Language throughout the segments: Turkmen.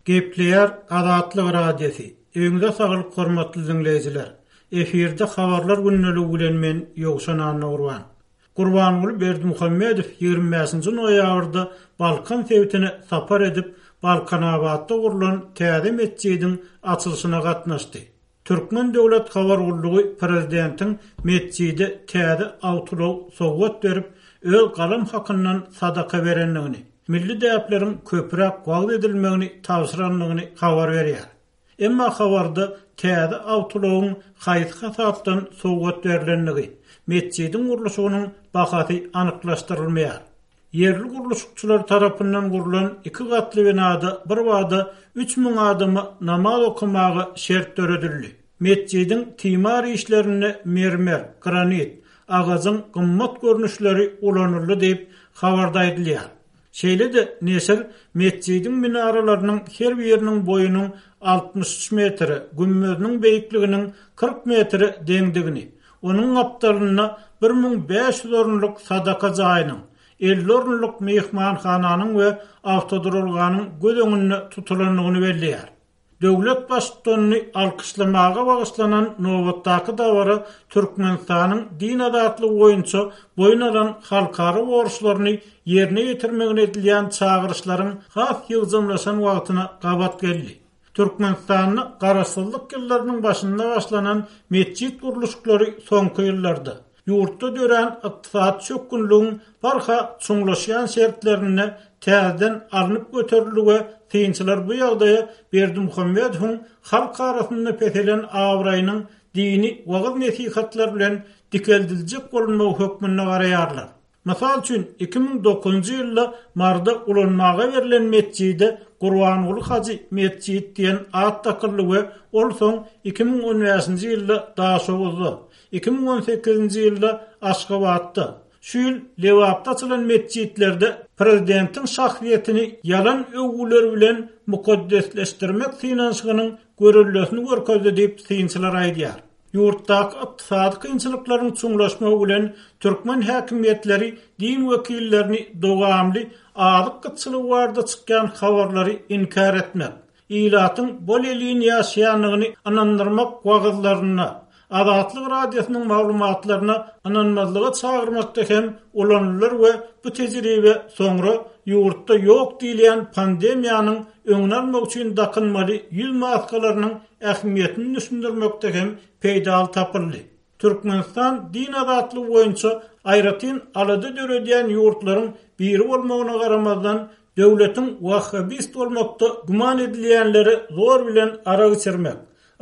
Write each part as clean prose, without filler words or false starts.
Gepleýär Azatlyk Radiosy, Öňüňize saglyk hormatly diňleýjiler! Efirde Habarlar gündeligi bilen men Ýowşan Annagurban. Gurbanguly Berdimuhamedow 25-nji noýabrda Balkan sebitine sapar edip, Balkanabatda gurlan täze metjidiň açylyşyna gatnaşdy. Türkmen döwlet habar gullugy prezidentiň metjide täze awtoulag sowgat berip, öz galam hakyndan sadaka berendigini, milli däpleriň köpräk wagyz edilmegini tabşyrandygyny habar berýär. Emma habarda täze awtoulagyň haýsy hasapdan sowgat berlendigi, metjidiň gurluşygynyň bahasy anyklaşdyrylmaýar. Ýerli gurluşykçylar tarapyndan gurlan iki gatly binada birbada 3000 adama namaz okamaga şert döredildi. Metjidiň timar işlerinde mermer, granit, agajyň gymmat görnüşleri ulanyldy diýip, habarda aýdylýar. Şeýle-de neşir metjidiň minaralarynyň her biriniň boýunyň 63 metre, gümmeziniň beýikliginiň 40 metre deňdigini, Onuň gapdalynda 1500 orunlyk sadaka jaýynyň, 50 orunlyk myhmanhananyň we awtoduralganyň göz öňünde tutulandygyny belleýär. Döwlet Baştutanyny alkyşlamaga bagyşlanan nobatdaky dabara Türkmenistanyň din azatlygy boýunça boýun alan halkara borçlaryny ýerine ýetirmegine edilýän çagyryşlaryň has ýygjamlaşan wagtyna gabat geldi. Türkmenistanda Garaşsyzlyk ýyllarynyň başynda başlanan metjit gurluşyklary soňky ýyllarda, ýurtda dörän ykdysady çökgünligiň barha çuňlaşýan şertlerinde täzeden alnyp göterildi we synçylar bu ýagdaýa Berdimuhamedowyň halk arasynda peselen abraýynyň dini wagyz-nesihatlar bilen dikeldiljek bolunmagy hökmünde garaýarlar. Mysal üçin, 2009-njy ýylda Maryda ulanmaga berlen metjide Gurbanguly hajy metjit diýen at dakyldy we ol soň 2015-nji ýylda Daşoguzda, 2018-nji ýylda Aşgabatda, şu ýyl Lebapda açylan metjitlerde prezidentiň şahsyýetini ýalan öwgüler bilen mukaddesleşdirmek synanyşygynyň göreldesini görkezdi diýip, synçylar aýdýar. Ýurtdaky ykdysady kynçylyklaryň çuňlaşmagy bilen türkmen häkimiýetleri din wekillerini dowamly azyk gytçylygy barada çykýan habarlary inkär etmek, ilatyň bol-elin ýaşaýandygyny ynandyrmak wagyzlarynda, Azatlyk Radiosynyň maglumatlaryna ynanmazlyga çagyrmakda hem ulanylar we bu tejribe soňra ýurtda ýok diýilýän pandemiýanyň öňüni almak üçin dakynmaly ýüz maskalarynyň ähmiýetini düşündirmekde hem peýdaly tapyldy. Türkmenistan din azatlygy boýunça aýratyn alada döredýän ýurtlaryň biri bolmagyna garamazdan, döwletiň wahhabist bolmakda güman edilýänlere zor bilen arak içirmek,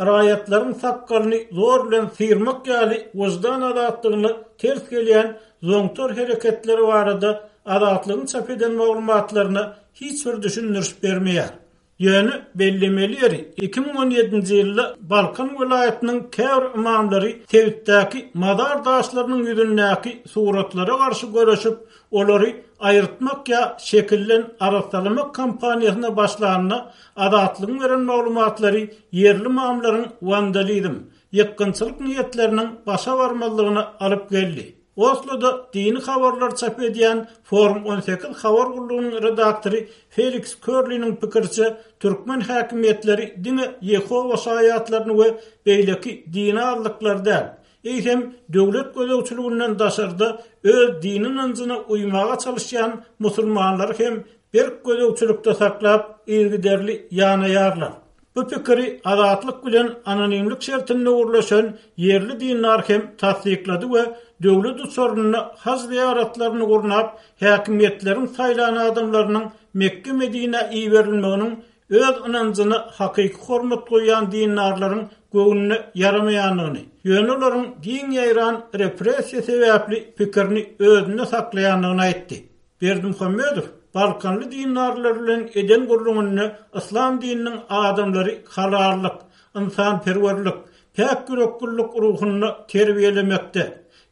raýatlaryň sakgalyny zor bilen syrmak ýaly wyždan azatlygyna ters gelýän zoňtar hereketleri barada Azatlygyň çap eden maglumatlaryna hiç bir düşündiriş bermeýär. Ýöne bellemeli ýeri, 2017-nji ýylda Balkan welaýatynyň käbir ymamlary sebitdäki mazar daşlarynyň ýüzündäki suratlara garşy göreşip, olary aýyrtmak ýa şekilden arassalamak kampaniýasyna başlanda, Azatlygyň beren maglumatlary ýerli ymamlaryň wandalizm, ýykgynçylyk niýetleriniň başa barmazlygyna alyp geldi. Osloda dini habarlary çap edýän Forum 18 habar gullugynyň redaktory Feliks Körliniň pikiriçe, türkmen häkimiýetleri diňe Ýehowa şaýatlaryny we beýleki dini azlyklary däl, eýsem, döwlet gözegçiliginden daşarda öz dini ynanjyna uýmaga çalyşýan musulmanlary hem berk gözegçilikde saklap, yzygiderli ýanaýarlar. Bu pikiri Azatlyk bilen anonimlik şertinde gürleşen ýerli dindar hem tassyklady we döwlet uçarynda haj zyýaratlaryny gurnap, häkimiýetleriň saýlan adamlarynyň Mekge-Medinä iberilmeginiň öz ynanjyna hakyky hormat goýýan dindarlaryň göwnüne ýaramaýandygyny, ýöne olaryň giň ýaýran repressiýa sebäpli pikirini özünde saklaýandygyny aýtdy. Berdimuhamedow balkanly dindarlar bilen eden gürrüňinde yslam dininiň adamlary halallyk, ynsanperwerlik, päk ýüreklilik ruhunda terbiýelemekde,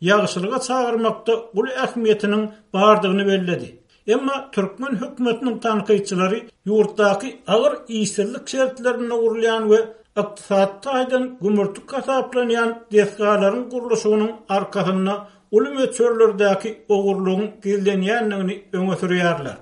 ýagşylyga çagyrmakda uly ähmiýetiniň bardygyny belledi. Emma türkmen hökümetiniň tankytçylary ýurtdaky agyr işsizlik şertlerinde gurulýan we ykdysady taýdan gümürtik hasaplanýan desgalaryň gurluşygynyň arkasynda uly möçberlerdäki ogurlygyň gizlenýändigini öňe sürýärler.